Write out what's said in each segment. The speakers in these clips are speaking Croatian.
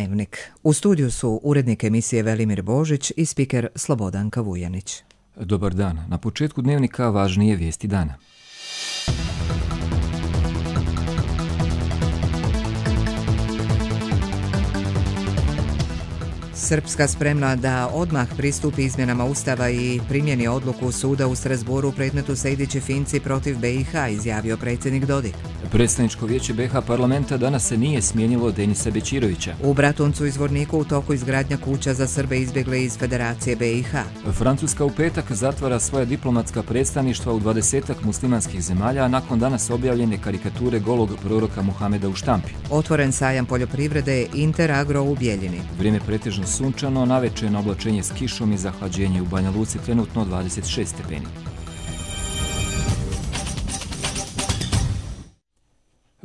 Dnevnik. U studiju su urednik emisije Velimir Božić i spiker Slobodanka Vujanić. Dobar dan. Na početku Dnevnika važnije vijesti dana. Srpska spremna da odmah pristupi izmjenama Ustava i primjeni odluku suda u Strasbourgu u predmetu Sejdić i Finci protiv BiH, izjavio predsjednik Dodik. Predstavničko vijeće BiH parlamenta danas se nije smijenilo Denisa Bećirovića. U Bratuncu i Zvorniku u toku izgradnja kuća za Srbe izbjegle iz Federacije BiH. Francuska u petak zatvara svoja diplomatska predstavništva u 20-ak muslimanskih zemalja, a nakon danas objavljene karikature golog proroka Muhameda u štampi. Otvoren sajam poljoprivrede Interagro u Bjeljini. Vrijeme pretežno sunčano, navečerno oblačenje s kišom i zahlađenje u Banja Luci, trenutno 26 stepeni.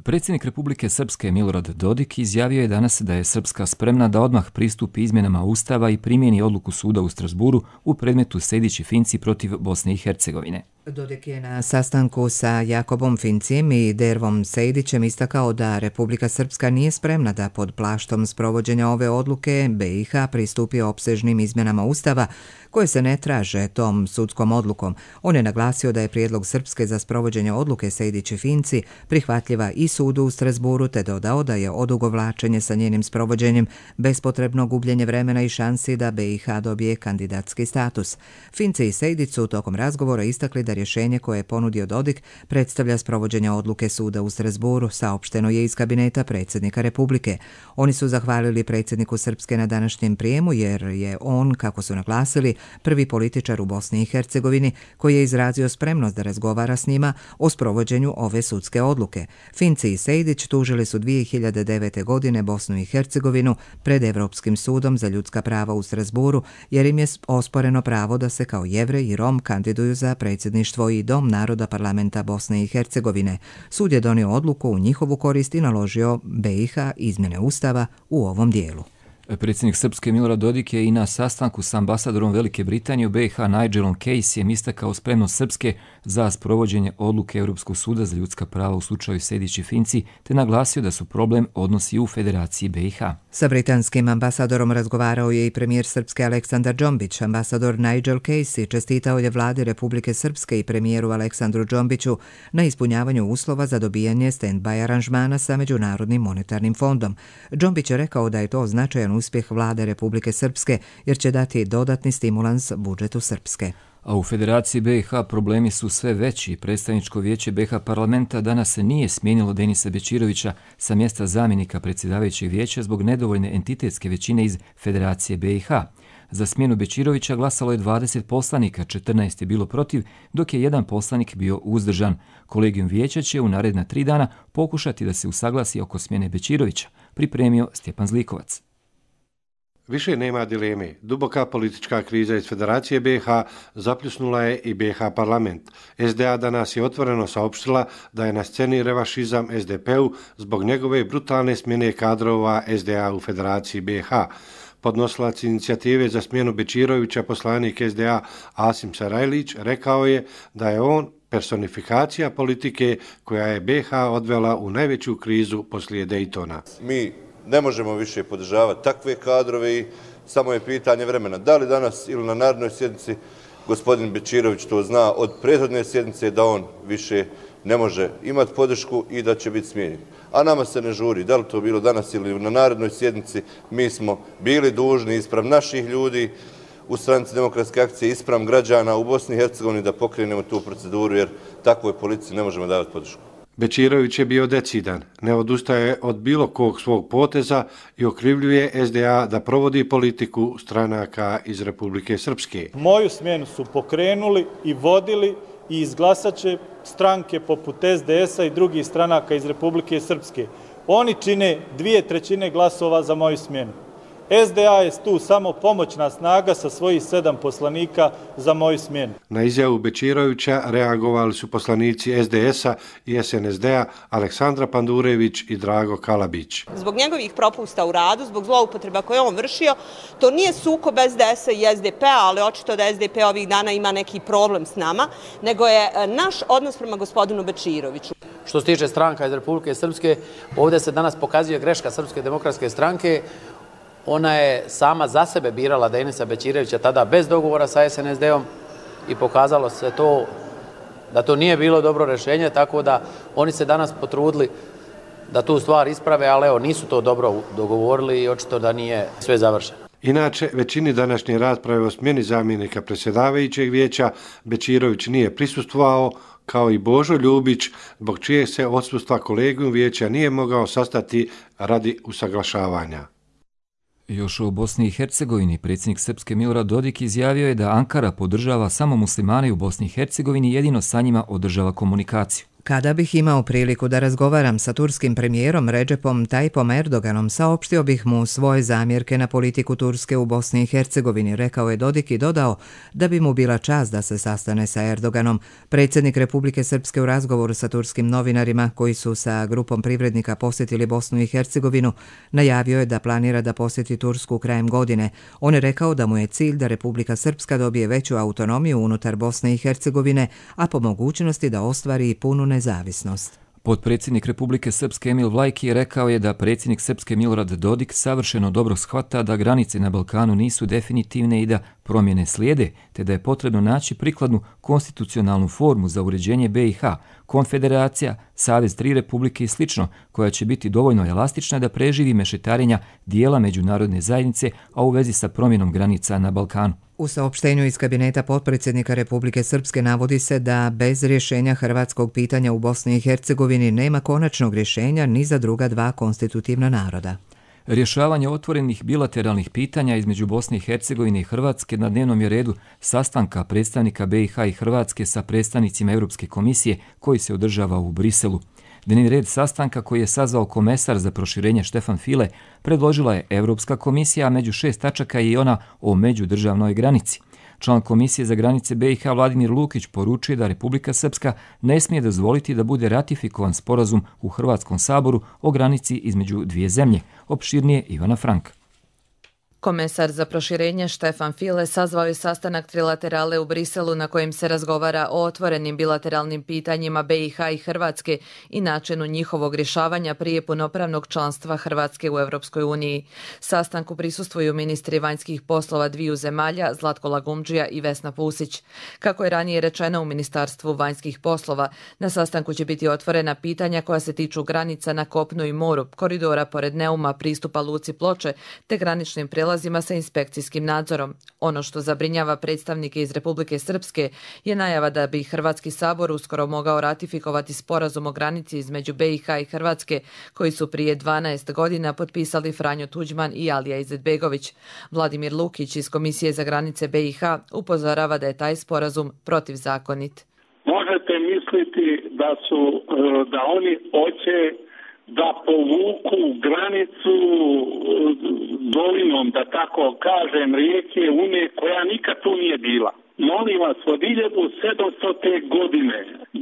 Predsjednik Republike Srpske Milorad Dodik izjavio je danas da je Srpska spremna da odmah pristupi izmjenama Ustava i primjeni odluku suda u Strasbourgu u predmetu Sejdić i Finci protiv Bosne i Hercegovine. Dodik je na sastanku sa Jakobom Fincijem i Dervom Sejdićem istakao da Republika Srpska nije spremna da pod plaštom sprovođenja ove odluke BiH pristupi opsežnim izmjenama Ustava koje se ne traže tom sudskom odlukom. On je naglasio da je prijedlog Srpske za sprovođenje odluke Sejdić i Finci prihvatljiva i sudu u Strasbourgu, te dodao da je odugovlačenje sa njenim sprovođenjem bespotrebno gubljenje vremena i šansi da BiH dobije kandidatski status. Finci i Sejdić su tokom razgovora istakli da rješenje koje je ponudio Dodik predstavlja sprovođenje odluke suda u Strasbourgu, saopšteno je iz kabineta predsjednika Republike. Oni su zahvalili predsjedniku Srpske na današnjem prijemu jer je on, kako su naglasili, prvi političar u Bosni i Hercegovini koji je izrazio spremnost da razgovara s njima o sprovođenju ove sudske odluke. Finci i Sejdić tužili su 2009. godine Bosnu i Hercegovinu pred Evropskim sudom za ljudska prava u Strasbourgu jer im je osporeno pravo da se kao Jevrej i Rom kandiduju za predsjedništvo i Dom naroda parlamenta Bosne i Hercegovine. Sud je donio odluku u njihovu korist i naložio BiH izmjene Ustava u ovom dijelu. Predsjednik Srpske Milorad Dodik je i na sastanku s ambasadorom Velike Britanije u BiH Nigelom Caseyem istakao spremnost Srpske za sprovođenje odluke Europskog suda za ljudska prava u slučaju Sejdić i Finci, te naglasio da su problem odnosi u Federaciji BiH. Sa britanskim ambasadorom razgovarao je i premijer Srpske Aleksandar Džombić. Ambasador Nigel Casey čestitao je vladi Republike Srpske i premijeru Aleksandru Džombiću na ispunjavanju uslova za dobijanje stand-by aranžmana sa Međunarodnim monetarnim fondom. Džombić je rekao da je to značajan uspjeh vlade Republike Srpske jer će dati dodatni stimulans budžetu Srpske. A u Federaciji BiH problemi su sve veći. Predstavničko vijeće BiH parlamenta danas se nije smijenilo Denisa Bećirovića sa mjesta zamjenika predsjedavajućeg vijeća zbog nedovoljne entitetske većine iz Federacije BiH. Za smjenu Bećirovića glasalo je 20 poslanika, 14 je bilo protiv, dok je jedan poslanik bio uzdržan. Kolegijum vijeća će u naredna 3 dana pokušati da se usaglasi oko smjene Bećirovića, pripremio Stjepan Zlikovac. Više nema dileme. Duboka politička kriza iz Federacije BiH zapljusnula je i BiH parlament. SDA danas je otvoreno saopštila da je na sceni revašizam SDP-u zbog njegove brutalne smjene kadrova SDA u Federaciji BiH. Podnosilac inicijative za smjenu Bećirovića, poslanik SDA Asim Sarajlić, rekao je da je on personifikacija politike koja je BiH odvela u najveću krizu poslije Dejtona. Mi ne možemo više podržavati takve kadrove i samo je pitanje vremena. Da li danas ili na narednoj sjednici gospodin Bećirović to zna od prethodne sjednice da on više ne može imati podršku i da će biti smijenjen. A nama se ne žuri. Da li to bilo danas ili na narednoj sjednici, mi smo bili dužni ispram naših ljudi u Stranci demokratske akcije, ispram građana u Bosni i Hercegovini da pokrenemo tu proceduru jer takvoj policiji ne možemo davati podršku. Bećirović je bio decidan, ne odustaje od bilo kog svog poteza i okrivljuje SDA da provodi politiku stranaka iz Republike Srpske. Moju smjenu su pokrenuli i vodili i izglasat će stranke poput SDS-a i drugih stranaka iz Republike Srpske. Oni čine 2/3 glasova za moju smjenu. SDA je tu samo pomoćna snaga sa svojih 7 poslanika za moju smjenu. Na izjavu Bećirovića reagovali su poslanici SDS-a i SNSD-a Aleksandra Pandurević i Drago Kalabić. Zbog njegovih propusta u radu, zbog zloupotreba koje on vršio, to nije sukob SDS-a i SDP-a, ali očito da SDP ovih dana ima neki problem s nama, nego je naš odnos prema gospodinu Bećiroviću. Što se tiče stranka iz Republike Srpske, ovdje se danas pokazuje greška Srpske demokratske stranke Ona je sama za sebe birala Denisa Bećirovića tada bez dogovora sa SNSD-om i pokazalo se to da to nije bilo dobro rješenje, tako da oni se danas potrudili da tu stvar isprave, ali evo, nisu to dobro dogovorili i očito da nije sve završeno. Inače, većini današnje rasprave o smjeni zamjenika predsjedavajućeg vijeća Bećirović nije prisustvovao, kao i Božo Ljubić, zbog čijeg se odsustva kolegijum vijeća nije mogao sastati radi usaglašavanja. Još o Bosni i Hercegovini predsjednik Srpske Milorad Dodik izjavio je da Ankara podržava samo muslimane u Bosni i Hercegovini i jedino sa njima održava komunikaciju. Kada bih imao priliku da razgovaram sa turskim premijerom Recepom Tayyipom Erdoganom, saopštio bih mu svoje zamjerke na politiku Turske u Bosni i Hercegovini, rekao je Dodik i dodao da bi mu bila čast da se sastane sa Erdoganom. Predsjednik Republike Srpske u razgovoru sa turskim novinarima koji su sa grupom privrednika posjetili Bosnu i Hercegovinu najavio je da planira da posjeti Tursku krajem godine. On je rekao da mu je cilj da Republika Srpska dobije veću autonomiju unutar Bosne i Hercegovine, a po mogućnosti da ostvari i punu nezavisnost. Potpredsjednik Republike Srpske Emil Vlajki rekao je da predsjednik Srpske Milorad Dodik savršeno dobro shvata da granice na Balkanu nisu definitivne i da promjene slijede, te da je potrebno naći prikladnu konstitucionalnu formu za uređenje BiH, konfederacija, savez tri republike i sl., koja će biti dovoljno elastična da preživi mešetarenja dijela međunarodne zajednice, a u vezi sa promjenom granica na Balkanu. U saopštenju iz kabineta potpredsjednika Republike Srpske navodi se da bez rješenja hrvatskog pitanja u Bosni i Hercegovini nema konačnog rješenja ni za druga dva konstitutivna naroda. Rješavanje otvorenih bilateralnih pitanja između Bosne i Hercegovine i Hrvatske na dnevnom je redu sastanka predstavnika BiH i Hrvatske sa predstavnicima Europske komisije koji se održava u Briselu. Dnevni red sastanka koji je sazvao komesar za proširenje Štefan File predložila je Europska komisija, a među 6 tačaka je i ona o međudržavnoj granici. Član Komisije za granice BiH Vladimir Lukić poručuje da Republika Srpska ne smije dozvoliti da bude ratifikovan sporazum u Hrvatskom saboru o granici između dvije zemlje. Opširnije Ivana Franka. Komesar za proširenje Štefan File sazvao je sastanak trilaterale u Briselu na kojem se razgovara o otvorenim bilateralnim pitanjima BiH i Hrvatske i načinu njihovog rješavanja prije punopravnog članstva Hrvatske u Europskoj uniji. Sastanku prisustvuju ministri vanjskih poslova dviju zemalja Zlatko Lagumdžija i Vesna Pusić. Kako je ranije rečeno u Ministarstvu vanjskih poslova, na sastanku će biti otvorena pitanja koja se tiču granica na kopnu i moru, koridora pored Neuma, pristupa luci Ploče te graničnim prijelazima sa inspekcijskim nadzorom. Ono što zabrinjava predstavnike iz Republike Srpske je najava da bi Hrvatski sabor uskoro mogao ratifikovati sporazum o granici između BiH i Hrvatske koji su prije 12 godina potpisali Franjo Tuđman i Alija Izetbegović. Vladimir Lukić iz Komisije za granice BiH upozorava da je taj sporazum protivzakonit. Možete misliti da oni hoće da povuku granicu dolinom, da tako kažem, rijeke Une, koja nikad tu nije bila. Molim vas, od 1700. godine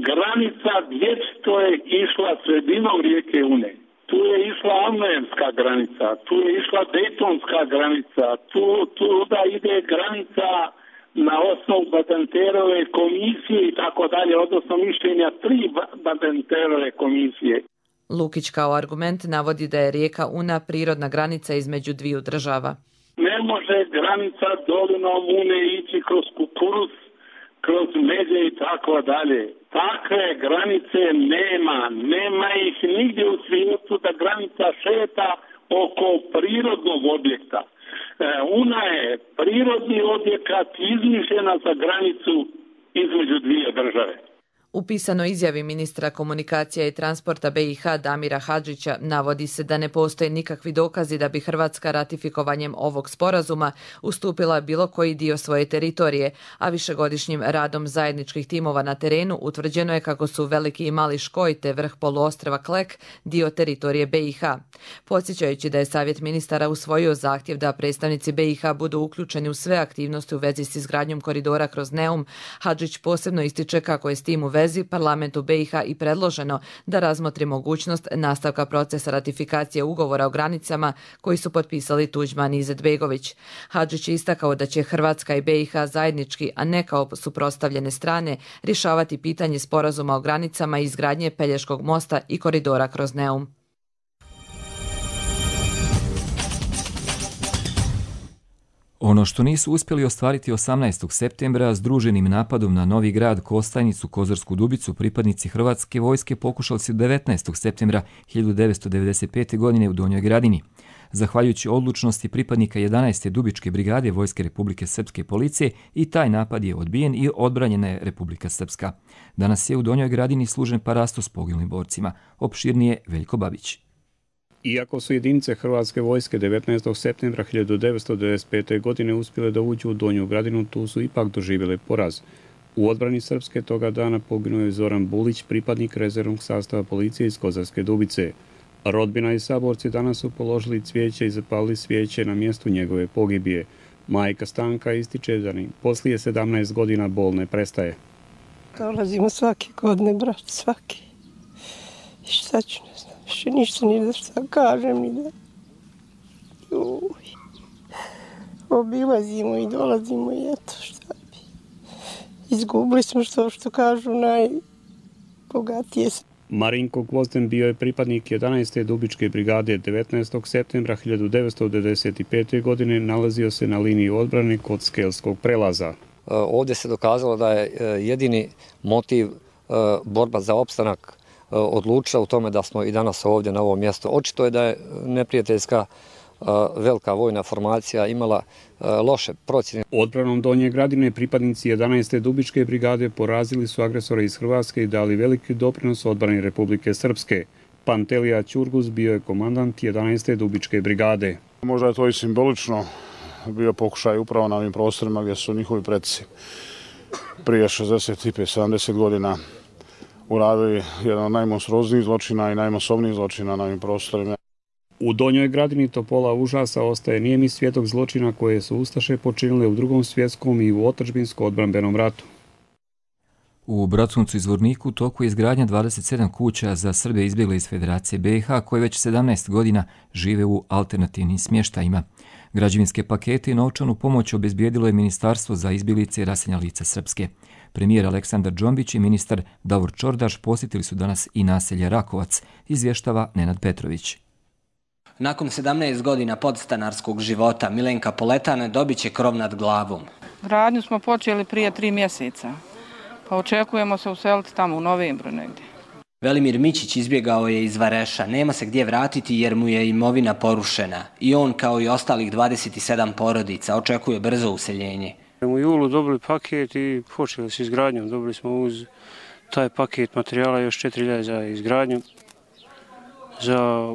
granica vječito je išla sredinom rijeke Une. Tu je išla Almenska granica, tu je išla Dejtonska granica, tu da ide granica na osnovu Badenterove komisije i tako dalje, odnosno mišljenja 3 Badenterove komisije. Lukić kao argument navodi da je rijeka Una prirodna granica između dviju država. Ne može granica dolinom Une ići kroz kukuruz, kroz međe i tako dalje. Takve granice nema ih nigdje u svijetu da granica šeta oko prirodnog objekta. Una je prirodni objekat izmišljena za granicu između dvije države. U pisanoj izjavi ministra komunikacija i transporta BiH Damira Hadžića navodi se da ne postoje nikakvi dokazi da bi Hrvatska ratifikovanjem ovog sporazuma ustupila bilo koji dio svoje teritorije, a višegodišnjim radom zajedničkih timova na terenu utvrđeno je kako su Veliki i Mali Škoj te vrh poluostrva Klek dio teritorije BiH. Podsjećajući da je Savjet ministara usvojio zahtjev da predstavnici BiH budu uključeni u sve aktivnosti u vezi s izgradnjom koridora kroz Neum, Hadžić posebno ističe kako je s tim u vezi parlamentu BiH i predloženo da razmotri mogućnost nastavka procesa ratifikacije ugovora o granicama koji su potpisali Tuđman i Izetbegović. Hadžić je istakao da će Hrvatska i BiH zajednički, a ne kao suprotstavljene strane, rješavati pitanje sporazuma o granicama i izgradnje Pelješkog mosta i koridora kroz Neum. Ono što nisu uspjeli ostvariti 18. septembra združenim napadom na Novi Grad, Kostajnicu, Kozarsku Dubicu, pripadnici Hrvatske vojske pokušali su 19. septembra 1995. godine u Donjoj Gradini. Zahvaljujući odlučnosti pripadnika 11. Dubičke brigade Vojske Republike Srpske policije i taj napad je odbijen i odbranjena je Republika Srpska. Danas je u Donjoj Gradini služen parasto s poginulim borcima. Opširnije Veljko Babić. Iako su jedinice Hrvatske vojske 19. septembra 1995. godine uspjele da uđu u Donju Gradinu, tu su ipak doživjele poraz. U odbrani Srpske toga dana poginuo je Zoran Bulić, pripadnik rezervnog sastava policije iz Kozarske Dubice. Rodbina i saborci danas su položili cvijeće i zapalili svijeće na mjestu njegove pogibije. Majka Stanka ističe da ni poslije 17 godina bol ne prestaje. Dolazimo svake godine, brat, svaki. I šta ću, ne znam, više ništa ni da šta kažem, ni da... Obilazimo i dolazimo i eto šta bi. Izgubili smo što kažu najbogatije. Marinko Gvozden bio je pripadnik 11. Dubičke brigade. 19. septembra 1995. godine nalazio se na liniji odbrane kod Skelskog prelaza. Ovdje se dokazalo da je jedini motiv borba za opstanak odlučila u tome da smo i danas ovdje na ovom mjestu. Očito je da je neprijateljska velika vojna formacija imala loše procjene. Odbranom Donje Gradine pripadnici 11. Dubičke brigade porazili su agresore iz Hrvatske i dali veliki doprinos odbrani Republike Srpske. Pantelija Ćurgus bio je komandant 11. Dubičke brigade. Možda je to i simbolično bio pokušaj upravo na ovim prostorima gdje su njihovi preci prije 65-70 godina uradili jedan od najmonstruoznijih zločina i najmasovnijih zločina na ovim prostorima. U Donjoj Gradini topola užasa ostaje nijemi svjedok zločina koje su ustaše počinile u Drugom svjetskom i u otadžbinsko-odbrambenom ratu. U Bratuncu i Zvorniku u toku je izgradnja 27 kuća za Srbe izbjegle iz Federacije BiH koje već 17 godina žive u alternativnim smještajima. Građevinske pakete i novčanu pomoć obezbijedilo je Ministarstvo za izbjeglice i raseljena lica Srpske. Premijer Aleksandar Džombić i ministar Davor Čordaš posjetili su danas i naselje Rakovac, izvještava Nenad Petrović. Nakon 17 godina podstanarskog života Milenka Poletana dobit će krov nad glavom. Gradnju smo počeli prije 3 mjeseca, pa očekujemo se useliti tamo u novembru negdje. Velimir Mićić izbjegao je iz Vareša, nema se gdje vratiti jer mu je imovina porušena. I on, kao i ostalih 27 porodica, očekuje brzo useljenje. U julu dobili paket i počeli s izgradnjom. Dobili smo uz taj paket materijala još 4.000 za izgradnju, za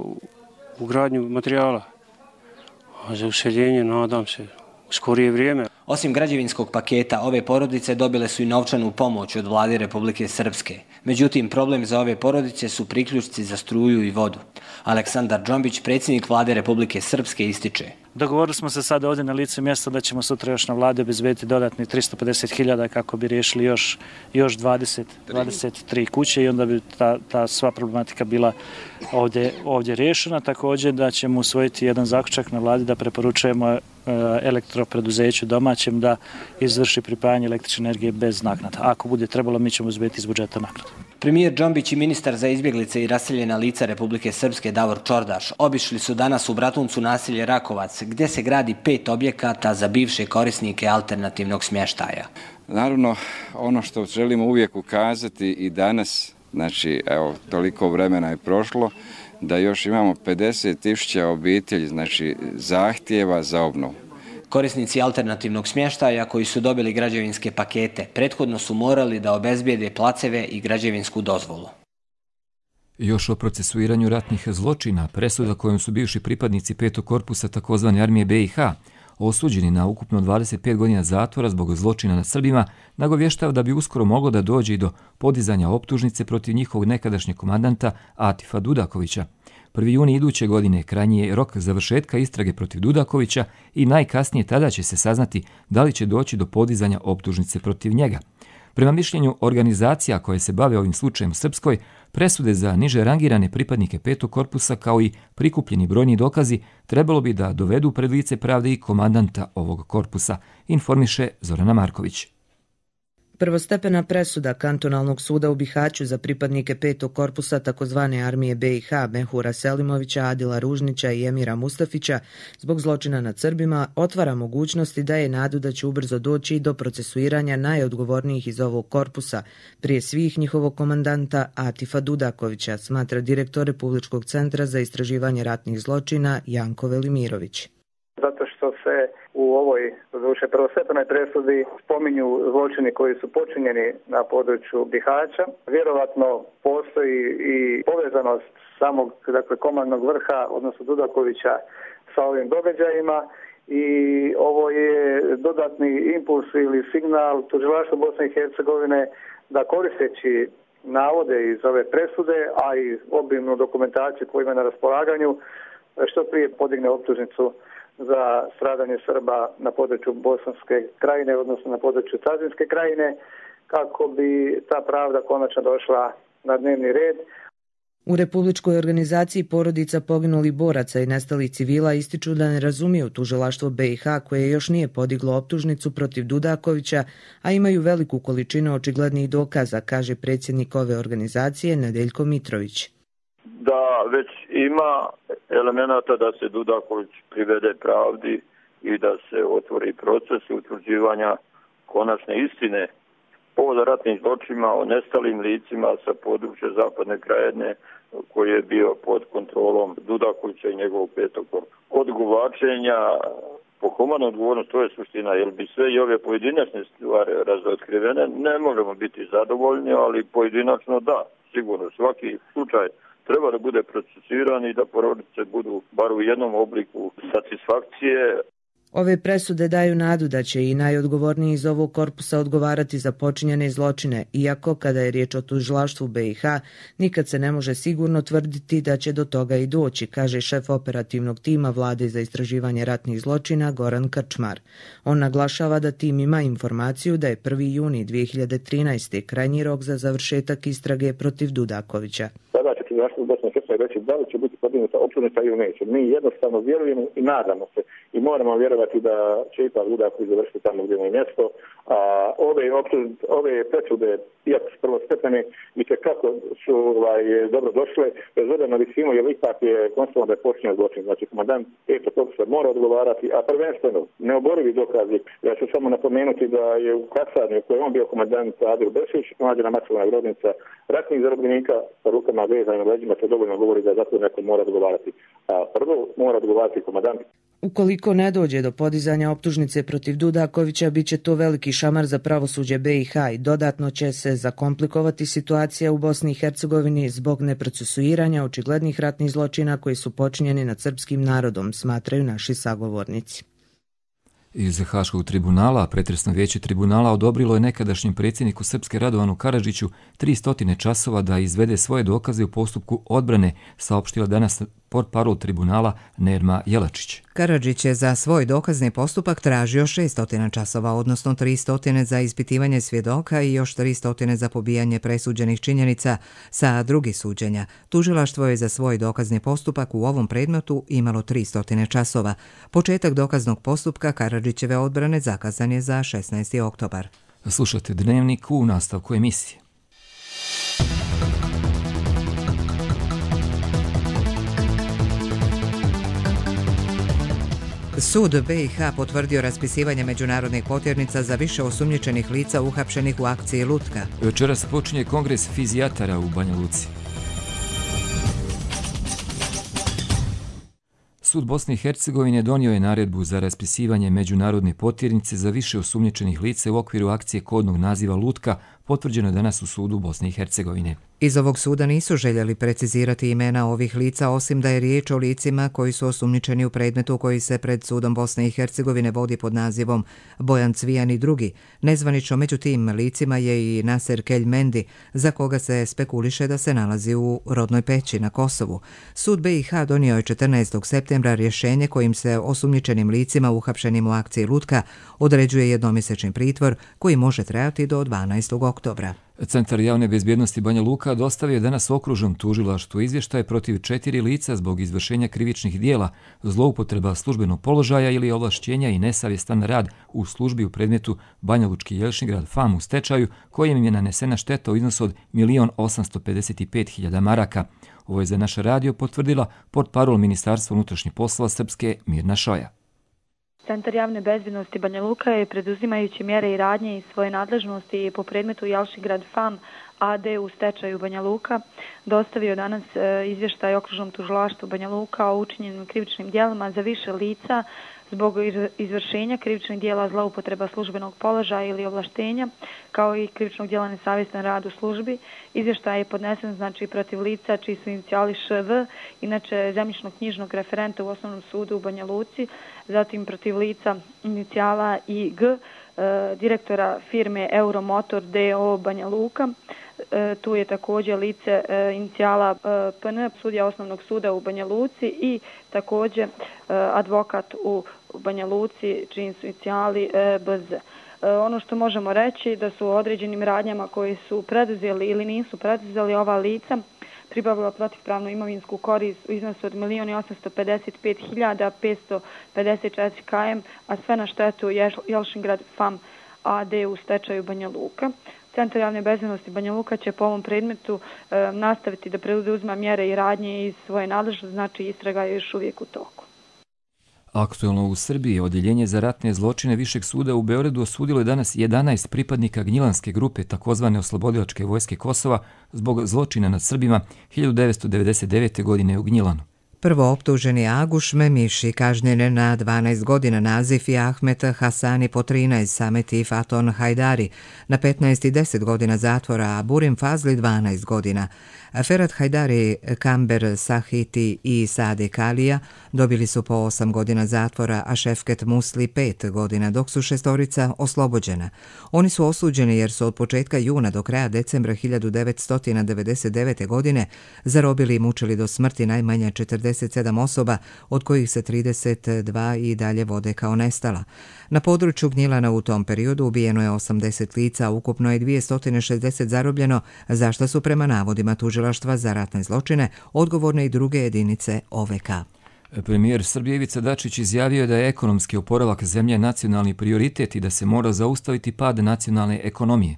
ugradnju materijala, a za useljenje nadam se u skorije vrijeme. Osim građevinskog paketa, ove porodice dobile su i novčanu pomoć od vlade Republike Srpske. Međutim, problem za ove porodice su priključci za struju i vodu. Aleksandar Džombić, predsjednik vlade Republike Srpske, ističe. Dogovorili smo se sada ovdje na licu mjesta da ćemo sutra još na vlade obezbediti dodatni 350.000 kako bi riješili još 23 kuće i onda bi ta sva problematika bila ovdje riješena. Također da ćemo usvojiti jedan zaključak na vladi da preporučujemo elektropreduzeću domaćem da izvrši pripajanje električne energije bez naknada. Ako bude trebalo, mi ćemo uzbiti iz budžeta naknadu. Premijer Džombić i ministar za izbjeglice i raseljena lica Republike Srpske Davor Čordaš obišli su danas u Bratuncu naselje Rakovac, gdje se gradi 5 objekata za bivše korisnike alternativnog smještaja. Naravno, ono što želimo uvijek ukazati i danas, znači, evo, toliko vremena je prošlo, da još imamo 50.000 obitelji, znači, zahtjeva za obnovu. Korisnici alternativnog smještaja koji su dobili građevinske pakete prethodno su morali da obezbijede placeve i građevinsku dozvolu. Još o procesuiranju ratnih zločina, presuda kojom su bivši pripadnici 5. korpusa takozvane armije BiH osuđeni na ukupno 25 godina zatvora zbog zločina nad Srbima, nagovještava da bi uskoro moglo da dođe i do podizanja optužnice protiv njihovog nekadašnjeg komandanta Atifa Dudakovića. 1. juni iduće godine krajnji je rok završetka istrage protiv Dudakovića i najkasnije tada će se saznati da li će doći do podizanja optužnice protiv njega. Prema mišljenju organizacija koje se bave ovim slučajem u Srpskoj, presude za niže rangirane pripadnike 5. korpusa kao i prikupljeni brojni dokazi trebalo bi da dovedu pred lice pravde i komandanta ovog korpusa, informiše Zorana Marković. Prvostepena presuda kantonalnog suda u Bihaću za pripadnike 5. korpusa takozvane armije BiH Mehura Selimovića, Adila Ružnića i Emira Mustafića zbog zločina nad Srbima otvara mogućnosti da je nadu da će ubrzo doći do procesuiranja najodgovornijih iz ovog korpusa, prije svih njihovog komandanta Atifa Dudakovića, smatra direktor Republičkog centra za istraživanje ratnih zločina Janko Velimirović. Zato što se u ovoj prvostepenoj presudi spominju zločini koji su počinjeni na području Bihaća. Vjerovatno postoji i povezanost samog komandnog vrha, odnosno Dudakovića, sa ovim događajima i ovo je dodatni impuls ili signal tužilaštvu Bosne i Hercegovine da koristeći navode iz ove presude, a i obimnu dokumentaciju koju ima na raspolaganju, što prije podigne optužnicu za stradanje Srba na području Bosanske krajine, odnosno na području Cazinske krajine, kako bi ta pravda konačno došla na dnevni red. U Republičkoj organizaciji porodica poginulih boraca i nestalih civila ističu da ne razumiju tužilaštvo BiH koje još nije podiglo optužnicu protiv Dudakovića, a imaju veliku količinu očiglednih dokaza, kaže predsjednik ove organizacije Nedeljko Mitrović. Da već ima elemenata da se Dudaković privede pravdi i da se otvori proces utvrđivanja konačne istine po ratnim zločinima o nestalim licima sa područja Zapadne Krajine koji je bio pod kontrolom Dudakovića i njegovog 5. korpusa. Od guvačenja po humanu odgovornost, to je suština, jer bi sve i ove pojedinačne stvari razotkrivene, ne možemo biti zadovoljni, ali pojedinačno da, sigurno svaki slučaj treba da bude procesiran i da porodice budu bar u jednom obliku satisfakcije. Ove presude daju nadu da će i najodgovorniji iz ovog korpusa odgovarati za počinjene zločine, iako kada je riječ o tužilaštvu BiH, nikad se ne može sigurno tvrditi da će do toga i doći, kaže šef operativnog tima Vlade za istraživanje ratnih zločina Goran Krčmar. On naglašava da tim ima informaciju da je 1. juni 2013. krajnji rok za završetak istrage protiv Dudakovića. Sada će tužilaštvo Bosne i Hercegovine reći da li će biti podignuta optužnica ili neće. Mi jednostavno vjerujemo i nadamo se i moramo vjerovati da će ipak Dudaković završiti tamo gdje mu je mjesto. A ove presude, iako su prvostepene, i kako su dobro došle, bez obzira na visinu, jer ipak je konstatovano da je počinjen zločin. Znači, komandant 5. korpusa mora odgovarati, a prvenstveno neoborivi dokazi. Ja ću samo napomenuti da je u kasarni u kojoj on bio komandant Adil Bešić, nađena masovna grobnica ratnih zarobljenika sa rukama vezanim na leđima, to dovoljno govori da zato neko mora odgovarati. A prvo mora odgovarati komandant. Ukoliko ne dođe do podizanja optužnice protiv Dudakovića, bit će to veliki šamar za pravosuđe BiH i dodatno će se zakomplikovati situacija u Bosni i Hercegovini zbog neprocesuiranja očiglednih ratnih zločina koji su počinjeni nad srpskim narodom, smatraju naši sagovornici. Iz Haškog tribunala, pretresno vijeće tribunala odobrilo je nekadašnjem predsjedniku Srpske Radovanu Karadžiću 300 časova da izvede svoje dokaze u postupku odbrane, saopštila danas portparol tribunala Nerma Jelačić. Karadžić je za svoj dokazni postupak tražio 600 časova, odnosno 300 za ispitivanje svjedoka i još 300 za pobijanje presuđenih činjenica sa drugih suđenja. Tužilaštvo je za svoj dokazni postupak u ovom predmetu imalo 300 časova. Početak dokaznog postupka Karadžićeve odbrane zakazan je za 16. oktobar. Slušate Dnevnik u nastavku emisije. Sud BiH potvrdio raspisivanje međunarodnih potjernica za više osumnjičenih lica uhapšenih u akciji Lutka. Večeras počinje kongres fizijatara u Banja Luci. Sud Bosne i Hercegovine donio je naredbu za raspisivanje međunarodne potjernice za više osumnjičenih lica u okviru akcije kodnog naziva Lutka, potvrđeno danas u sudu Bosne i Hercegovine. Iz ovog suda nisu željeli precizirati imena ovih lica, osim da je riječ o licima koji su osumnjičeni u predmetu koji se pred sudom Bosne i Hercegovine vodi pod nazivom Bojan Cvijan i drugi. Nezvanično među tim licima je i Naser Keljmendi, za koga se spekuliše da se nalazi u Rodnoj Peći na Kosovu. Sud BiH donio je 14. septembra rješenje kojim se osumnjičenim licima uhapšenim u akciji Lutka određuje jednomjesečni pritvor koji može trajati do 12. oktobra. Centar javne bezbjednosti Banja Luka dostavio je danas okružnom tužilaštvu izvještaj protiv 4 lica zbog izvršenja krivičnih dijela, zloupotreba službenog položaja ili ovlašćenja i nesavjestan rad u službi u predmetu Banja Lučki Jelšingrad FAM u stečaju, kojem je nanesena šteta u iznosu od 1.855.000 maraka. Ovo je za naš radio potvrdila portparol Ministarstva unutrašnjih poslova Srpske Mirna Šoja. Centar javne bezbjednosti Banja Luka je, preduzimajući mjere i radnje iz svoje nadležnosti po predmetu Jelšingrad FAM AD u stečaju Banja Luka, dostavio danas izvještaj okružnom tužilaštvu Banja Luka o učinjenim krivičnim djelima za više lica zbog izvršenja krivičnih djela zloupotreba službenog položaja ili ovlaštenja, kao i krivičnog djela nesavjestan rad u službi. Izvještaj je podnesen protiv lica čiji su inicijali ŠV, inače zemljišno-knjižnog referenta u Osnovnom sudu u Banja Luci, zatim protiv lica inicijala IG, direktora firme Euromotor DO Banja Luka. Tu je također lice inicijala PN, sudija Osnovnog suda u Banja Luci i također advokat u Banja Luci, čiji su inicijali BZ. Ono što možemo reći da su određenim radnjama koji su preduzeli ili nisu preduzeli ova lica pribavila protivpravnu imovinsku korist u iznosu od 1.855.554 km, a sve na štetu Jelšingrad FAM AD u stečaju Banja Luka. Centar javne bezbjednosti Banja Luka će po ovom predmetu nastaviti da preuzima mjere i radnje iz svoje nadležnosti, znači istraga je još uvijek u toku. Aktualno u Srbiji Odjeljenje za ratne zločine Višeg suda u Beogradu osudilo je danas 11 pripadnika Gnjilanske grupe takozvane Oslobodilačke vojske Kosova zbog zločina nad Srbima 1999. godine u Gnjilanu. Prvo optuženi Aguš Memiši kažnjen je na 12 godina, Nazif i Ahmet Hasani po 13, Samet i Faton Hajdari na 15 i 10 godina zatvora, a Burim Fazli 12 godina. Ferhat Hajdari, Kamber Sahiti i Sade Kalija dobili su po 8 godina zatvora, a Šefket Musli 5 godina, dok su šestorica oslobođena. Oni su osuđeni jer su od početka juna do kraja decembra 1999. godine zarobili i mučili do smrti najmanje 47 osoba, od kojih se 32 i dalje vode kao nestala. Na području Gnjilana u tom periodu ubijeno je 80 lica, ukupno je 260 zarobljeno, za što su prema navodima tužilaštva za ratne zločine odgovorne i druge jedinice OVK. Premijer Srbije Ivica Dačić izjavio je da je ekonomski oporavak zemlje nacionalni prioritet i da se mora zaustaviti pad nacionalne ekonomije.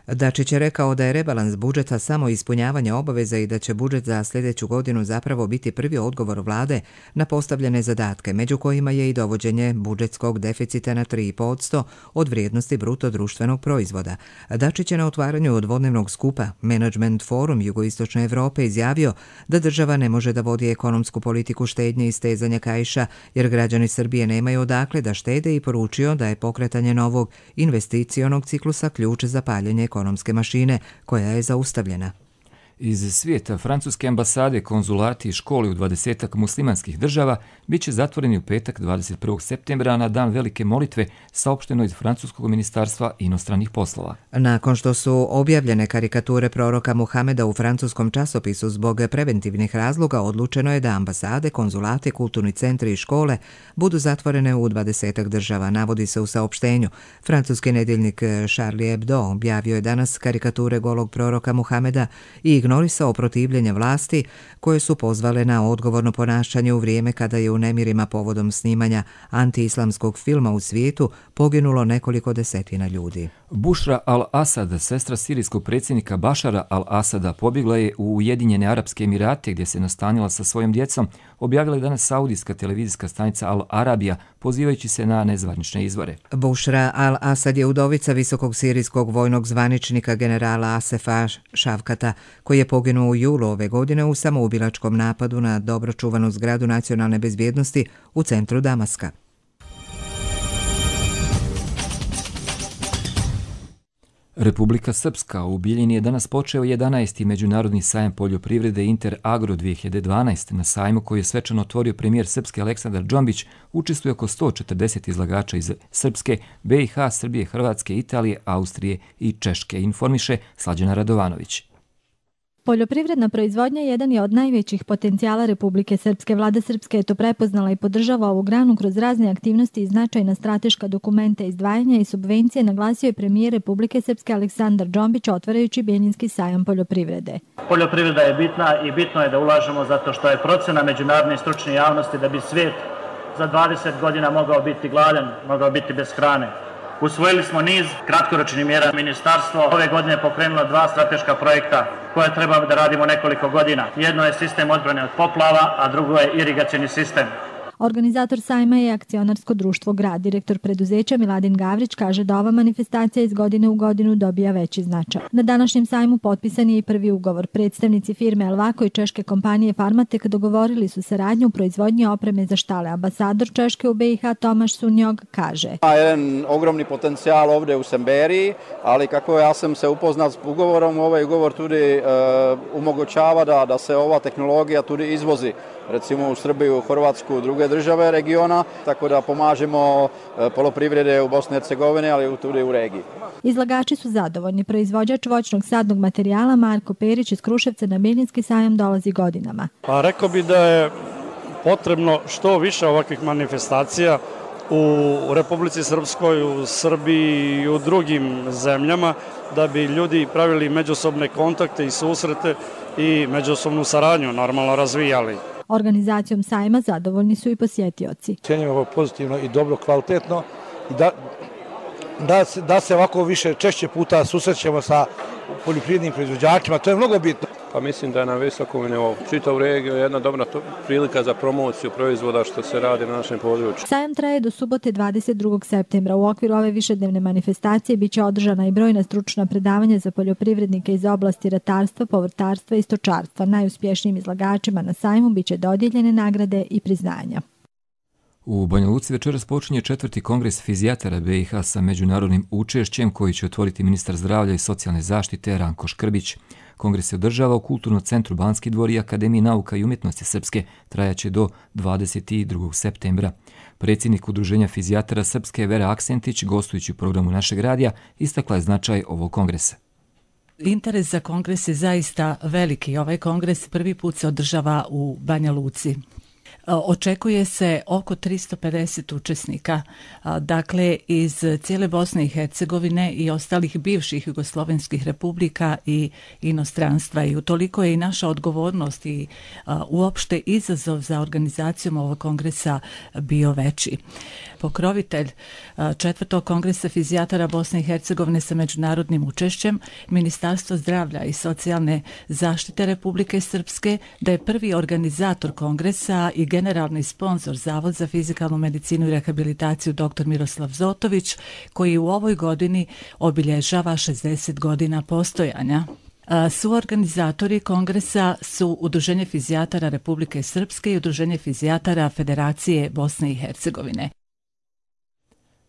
Dačić je rekao da je rebalans budžeta samo ispunjavanje obaveza i da će budžet za sljedeću godinu zapravo biti prvi odgovor vlade na postavljene zadatke, među kojima je i dovođenje budžetskog deficita na 3,5% od vrijednosti bruto društvenog proizvoda. Dačić je na otvaranju dvodnevnog skupa Management Forum Jugoistočne Evrope izjavio da država ne može da vodi ekonomsku politiku štednje i stezanja kaiša jer građani Srbije nemaju odakle da štede i poručio da je pokretanje novog investicionog ciklusa ključ za paljenje ekonomske mašine koja je zaustavljena. Iz svijeta francuske ambasade, konzulati i škole u 20 muslimanskih država bit će zatvoreni u petak 21. septembra na dan velike molitve, saopšteno iz francuskog ministarstva inostranih poslova. Nakon što su objavljene karikature proroka Muhameda u francuskom časopisu zbog preventivnih razloga, odlučeno je da ambasade, konzulate, kulturni centri i škole budu zatvorene u 20 država, navodi se u saopštenju. Francuski nedjeljnik Charlie Hebdo objavio je danas karikature golog proroka Muhameda i ignorisao protivljenje vlasti koje su pozvale na odgovorno ponašanje u vrijeme kada je u nemirima povodom snimanja antiislamskog filma u svijetu poginulo nekoliko desetina ljudi. Bušra al-Asad, sestra sirijskog predsjednika Bašara al-Asada, pobjegla je u Ujedinjene Arapske Emirate gdje se nastanila sa svojom djecom, objavila je danas saudijska televizijska stanica Al Arabija, pozivajući se na nezvanične izvore. Bušra al-Asad je udovica visokog sirijskog vojnog zvaničnika generala Asefa Šavkata, koji je poginuo u julu ove godine u samoubilačkom napadu na dobro čuvanu zgradu nacionalne bezbjednosti u centru Damaska. Republika Srpska u Bijeljini je danas počeo 11. međunarodni sajam poljoprivrede Inter Agro 2012. Na sajmu koji je svečano otvorio premijer Srpske Aleksandar Džombić učestvuje oko 140 izlagača iz Srpske, BiH, Srbije, Hrvatske, Italije, Austrije i Češke, informiše Slađana Radovanović. Poljoprivredna proizvodnja jedan je od najvećih potencijala Republike Srpske. Vlada Srpske je to prepoznala i podržava ovu granu kroz razne aktivnosti i značajna strateška dokumenta, izdvajanja i subvencije, naglasio je premijer Republike Srpske Aleksandar Džombić otvarajući Bijeljinski sajam poljoprivrede. Poljoprivreda je bitna i bitno je da ulažemo zato što je procena međunarodne i stručne javnosti da bi svijet za 20 godina mogao biti gladan, mogao biti bez hrane. Usvojili smo niz kratkoročnih mjera. Ministarstvo ove godine pokrenulo 2 strateška projekta koje treba da radimo nekoliko godina. Jedno je sistem odbrane od poplava, a drugo je irigacioni sistem. Organizator sajma je akcionarsko društvo Grad. Direktor preduzeća Miladin Gavrić kaže da ova manifestacija iz godine u godinu dobija veći značaj. Na današnjem sajmu potpisan je i prvi ugovor. Predstavnici firme Elvako i češke kompanije Farmatek dogovorili su saradnju u proizvodnji opreme za štale. Ambasador Češke u BiH Tomaš Sunjog kaže: Jedan ogromni potencijal ovdje u Semberiji, ali kako ja sam se upoznat s ugovorom, ovaj ugovor tudi omogućava da se ova tehnologija tudi izvozi, recimo u Srbiju, Hrvatsku, druge države regiona, tako da pomažemo poljoprivrede u Bosni i Hercegovini, ali tudi u regiji. Izlagači su zadovoljni. Proizvođač voćnog sadnog materijala Marko Perić iz Kruševca na Bijeljinski sajam dolazi godinama. Pa rekao bi da je potrebno što više ovakvih manifestacija u Republici Srpskoj, u Srbiji i u drugim zemljama, da bi ljudi pravili međusobne kontakte i susrete i međusobnu saradnju normalno razvijali. Organizacijom sajma zadovoljni su i posjetioci. Cijenimo ovo pozitivno i dobro, kvalitetno i da se ovako više češće puta susrećemo sa poljoprivrednim proizvođačima, to je mnogo bitno. Pa mislim da je na visokom nivou. Čitav regiju je jedna dobra prilika za promociju proizvoda što se radi na našem području. Sajam traje do subote 22. septembra. U okviru ove višednevne manifestacije biće održana i brojna stručna predavanja za poljoprivrednike iz oblasti ratarstva, povrtarstva i stočarstva. Najuspješnijim izlagačima na sajmu biće dodijeljene nagrade i priznanja. U Banja Luci večeras počinje 4. kongres fizijatara BiH sa međunarodnim učešćem koji će otvoriti ministar zdravlja i socijalne zaštite Ranko Škrbić. Kongres se održava u Kulturnom centru Banski dvor i Akademiji nauka i umjetnosti Srpske, trajaće do 22. septembra. Predsjednik Udruženja fizijatara Srpske Vera Aksentić, gostujući u programu našeg radija, istakla je značaj ovog kongresa. Interes za kongres je zaista veliki. Ovaj kongres prvi put se održava u Banja Luci. Očekuje se oko 350 učesnika, dakle iz cijele Bosne i Hercegovine i ostalih bivših jugoslovenskih republika i inostranstva, i utoliko je i naša odgovornost i uopšte izazov za organizacijom ovog kongresa bio veći. Pokrovitelj 4. kongresa fizijatara Bosne i Hercegovine sa međunarodnim učešćem, Ministarstvo zdravlja i socijalne zaštite Republike Srpske, da je prvi organizator kongresa i generalni sponsor Zavod za fizikalnu medicinu i rehabilitaciju dr. Miroslav Zotović, koji u ovoj godini obilježava 60 godina postojanja. Suorganizatori kongresa su Udruženje fizijatara Republike Srpske i Udruženje fizijatara Federacije Bosne i Hercegovine.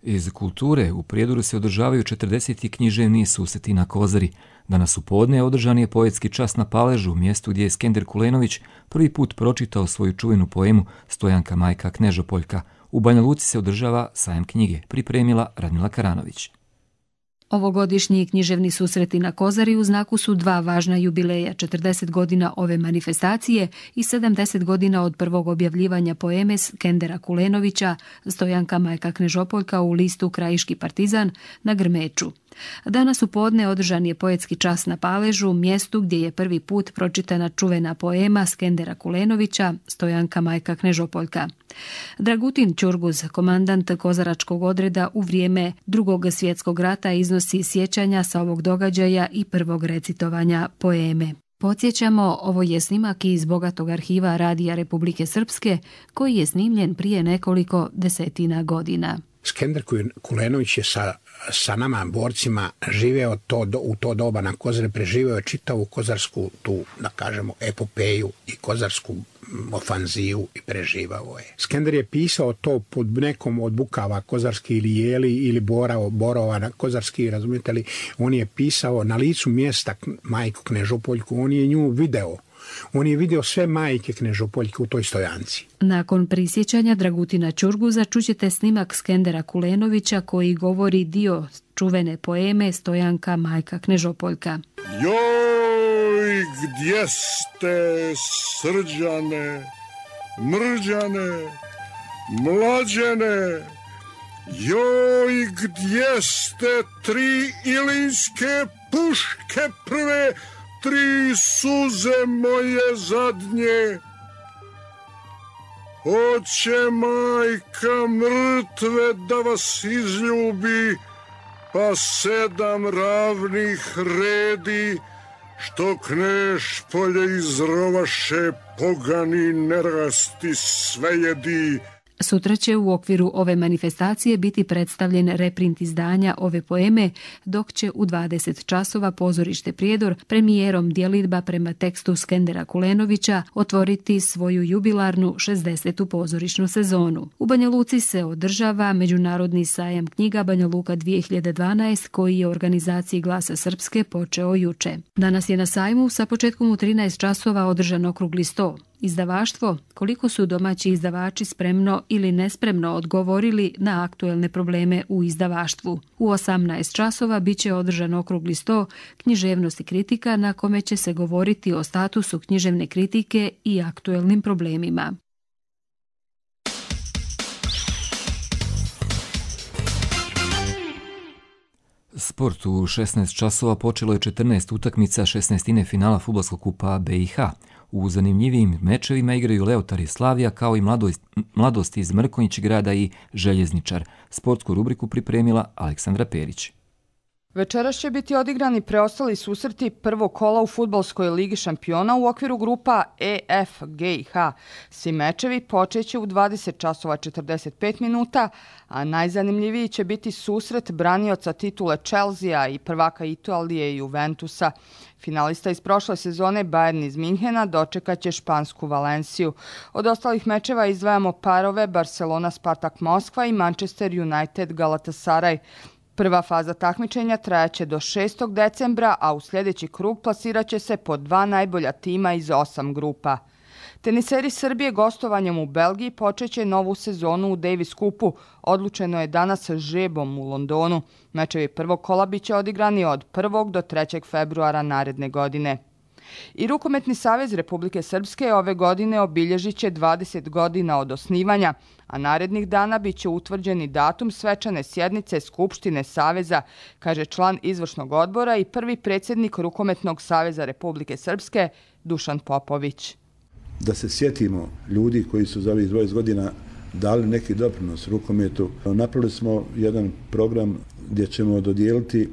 Iz kulture u Prijedoru se održavaju 40. književni susreti na Kozari. Danas u podne održan je poetski čas na Paležu, mjestu gdje je Skender Kulenović prvi put pročitao svoju čuvenu poemu Stojanka majka Knežopoljka. U Banja Luci se održava sajam knjige, pripremila Radmila Karanović. Ovogodišnji književni susreti na Kozari u znaku su 2 važna jubileja, 40 godina ove manifestacije i 70 godina od prvog objavljivanja poeme Skendera Kulenovića Stojanka majka Knežopoljka u listu Krajiški partizan na Grmeču. Danas u podne održan je poetski čas na Paležu, mjestu gdje je prvi put pročitana čuvena poema Skendera Kulenovića Stojanka majka Knežopoljka. Dragutin Ćurguz, komandant kozaračkog odreda u vrijeme Drugog svjetskog rata, iznosi sjećanja sa ovog događaja i prvog recitovanja poeme. Podsjećamo, ovo je snimak iz bogatog arhiva Radija Republike Srpske koji je snimljen prije nekoliko desetina godina. Skender Kulenović je sa nama borcima živeo u to doba na Kozari, preživeo je čitavu kozarsku tu, da kažemo, epopeju i kozarsku ofanzivu i preživao je. Skender je pisao to pod nekom od bukava kozarski ili jeli ili borova na kozarski, razumijete li, on je pisao na licu mjesta majku Knežopoljku, on je nju video. On je vidio sve majke Knežopoljke u toj stojanci. Nakon prisjećanja Dragutina Ćurguza čućete snimak Skendera Kulenovića koji govori dio čuvene poeme Stojanka majka Knežopoljka. Joj, gdje ste, Srđane, Mrđane, Mlađene? Joj, gdje ste tri ilinske puške prve, tri suze moje zadnje? Hoće majka mrtve da vas izljubi, pa 7 ravnih redi, što kneš polje izrovaše, pogani nerasti sve jedi. Sutra će u okviru ove manifestacije biti predstavljen reprint izdanja ove poeme, dok će u 20 časova pozorište Prijedor premijerom djelidba prema tekstu Skendera Kulenovića otvoriti svoju jubilarnu 60. pozorišnu sezonu. U Banja Luci se održava Međunarodni sajam knjiga Banja Luka 2012 koji je u organizaciji Glasa Srpske počeo juče. Danas je na sajmu sa početkom u 13 časova održan okrugli sto. Izdavaštvo, koliko su domaći izdavači spremno ili nespremno odgovorili na aktuelne probleme u izdavaštvu. U 18 časova biće održan okrugli sto književnost i kritika na kome će se govoriti o statusu književne kritike i aktuelnim problemima. Sport u 16 časova počelo je 14 utakmica 16. finala fudbalskog kupa BiH. U zanimljivijim mečevima igraju Leotar i Slavija kao i Mladost iz Mrkonjić grada i Željezničar. Sportsku rubriku pripremila Aleksandra Perić. Večeras će biti odigrani preostali susreti prvog kola u fudbalskoj ligi šampiona u okviru grupa E, F, G i H. Svi mečevi počeće u 20 časova 45 minuta, a najzanimljiviji će biti susret branioca titule Chelsea i prvaka Italije Juventusa. Finalista iz prošle sezone Bayern iz Minhena dočekat će špansku Valenciju. Od ostalih mečeva izdvajamo parove Barcelona Spartak Moskva i Manchester United Galatasaray. Prva faza takmičenja trajaće do 6. decembra, a u sljedeći krug plasirat će se po 2 najbolja tima iz 8 grupa. Teniseri Srbije gostovanjem u Belgiji počeće novu sezonu u Davis Cupu. Odlučeno je danas žrebom u Londonu. Mečevi prvog kola biće odigrani od 1. do 3. februara naredne godine. I Rukometni savez Republike Srpske ove godine obilježit će 20 godina od osnivanja, a narednih dana bit će utvrđeni datum svečane sjednice Skupštine Saveza, kaže član izvršnog odbora i prvi predsjednik Rukometnog saveza Republike Srpske Dušan Popović. Da se sjetimo ljudi koji su za ovih 20 godina dali neki doprinos rukometu. Napravili smo jedan program gdje ćemo dodijeliti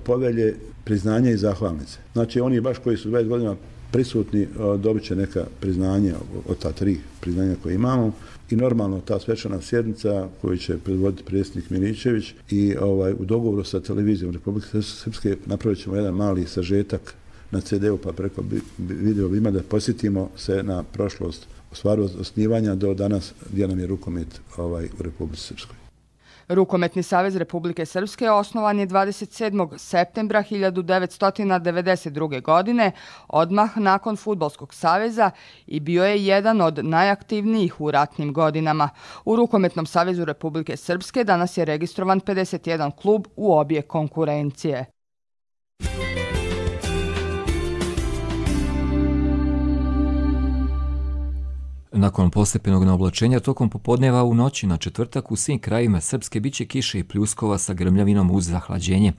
povelje, priznanja i zahvalnice. Znači oni baš koji su 20 godina prisutni dobit će neka priznanja od ta 3 priznanja koje imamo i normalno ta svečana sjednica koju će predvoditi predsjednik Miličević i u dogovoru sa televizijom Republike Srpske napravit ćemo jedan mali sažetak na CD-u pa preko video ima da posjetimo se na prošlost u stvari od osnivanja do danas gdje nam je rukomet u Republici Srpskoj. Rukometni savez Republike Srpske osnovan je 27. septembra 1992. godine, odmah nakon Fudbalskog saveza i bio je jedan od najaktivnijih u ratnim godinama. U Rukometnom savezu Republike Srpske danas je registrovan 51 klub u obje konkurencije. Nakon postepenog naoblačenja tokom popodneva u noći na četvrtak u svim krajevima Srpske biće kiše i pljuskova sa grmljavinom uz zahlađenje.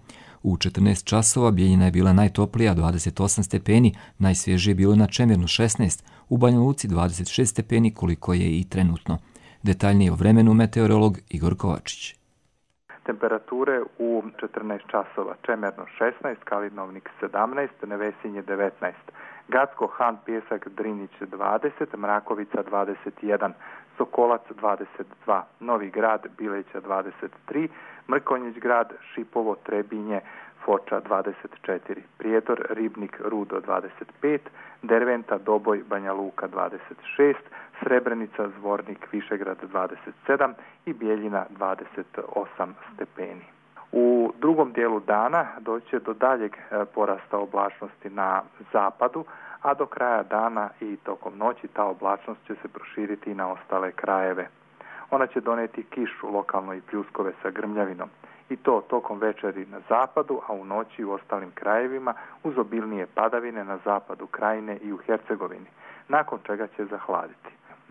U 14 časova Bijeljina je bila najtoplija 28 stepeni, najsvježije bilo na Čemernu 16, u Banja Luci 26 stepeni koliko je i trenutno. Detaljnije o vremenu meteorolog Igor Kovačić. Temperature u 14 časova Čemerno 16, Kalinovnik 17, Nevesinje 19. Gacko, Han, Pjesak, Drinić 20, Mrakovica 21, Sokolac 22, Novi Grad, Bileća 23, Mrkonjić grad, Šipovo, Trebinje, Foča 24, Prijedor, Ribnik, Rudo 25, Derventa, Doboj, Banja Luka 26, Srebrenica, Zvornik, Višegrad 27 i Bijeljina 28 stepeni. U drugom dijelu dana doći će do daljeg porasta oblačnosti na zapadu, a do kraja dana i tokom noći ta oblačnost će se proširiti i na ostale krajeve. Ona će doneti kišu, lokalno i pljuskove sa grmljavinom. I to tokom večeri na zapadu, a u noći u ostalim krajevima uz obilnije padavine na zapadu krajine i u Hercegovini, nakon čega će zahladiti.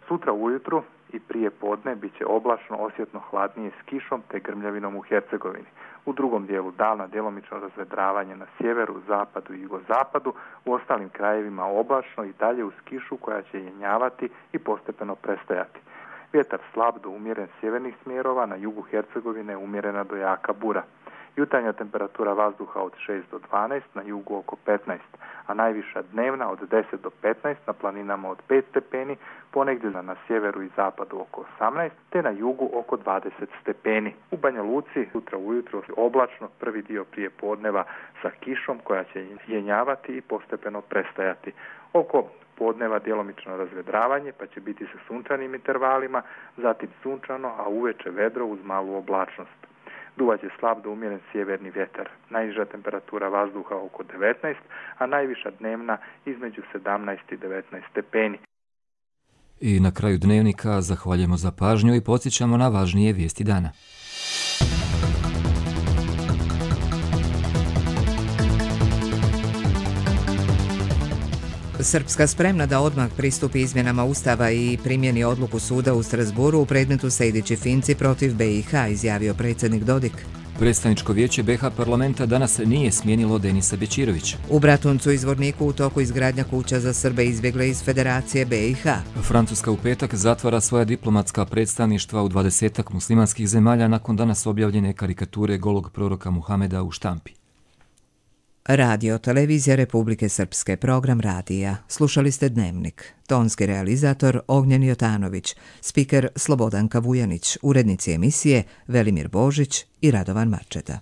Sutra ujutru i prije podne bit će oblačno, osjetno hladnije s kišom te grmljavinom u Hercegovini. U drugom dijelu dana djelomično razvedravanje na sjeveru, zapadu i jugozapadu, u ostalim krajevima oblačno i dalje uz kišu koja će jenjavati i postepeno prestajati. Vjetar slab do umjeren sjevernih smjerova, na jugu Hercegovine umjerena do jaka bura. Jutarnja temperatura vazduha od 6 do 12, na jugu oko 15, a najviša dnevna od 10 do 15, na planinama od 5 stepeni, ponegdje na sjeveru i zapadu oko 18, te na jugu oko 20 stepeni. U Banja Luci sutra ujutro oblačno, prvi dio prije podneva sa kišom koja će jenjavati i postepeno prestajati. Oko podneva djelomično razvedravanje, pa će biti sa sunčanim intervalima, zatim sunčano, a uveče vedro uz malu oblačnost. Duvaće slab do umjeren sjeverni vjetar. Najniža temperatura vazduha oko 19, a najviša dnevna između 17 i 19 stepeni. I na kraju dnevnika zahvaljujemo za pažnju i podsjećamo na važnije vijesti dana. Srpska spremna da odmah pristupi izmjenama Ustava i primjeni odluku suda u Strasburu u predmetu Sejdić-Finci protiv BiH, izjavio predsjednik Dodik. Predstavničko vijeće BiH parlamenta danas nije smijenilo Denisa Bećirovića. U Bratuncu i Zvorniku u toku izgradnja kuća za Srbe izbjegle iz Federacije BiH. Francuska u petak zatvara svoja diplomatska predstavništva u 20 muslimanskih zemalja nakon danas objavljene karikature golog proroka Muhameda u štampi. Radio Televizija Republike Srpske, program radija. Slušali ste Dnevnik. Tonski realizator Ognjen Jotanović, spiker Slobodanka Vujanić, urednici emisije Velimir Božić i Radovan Marčeta.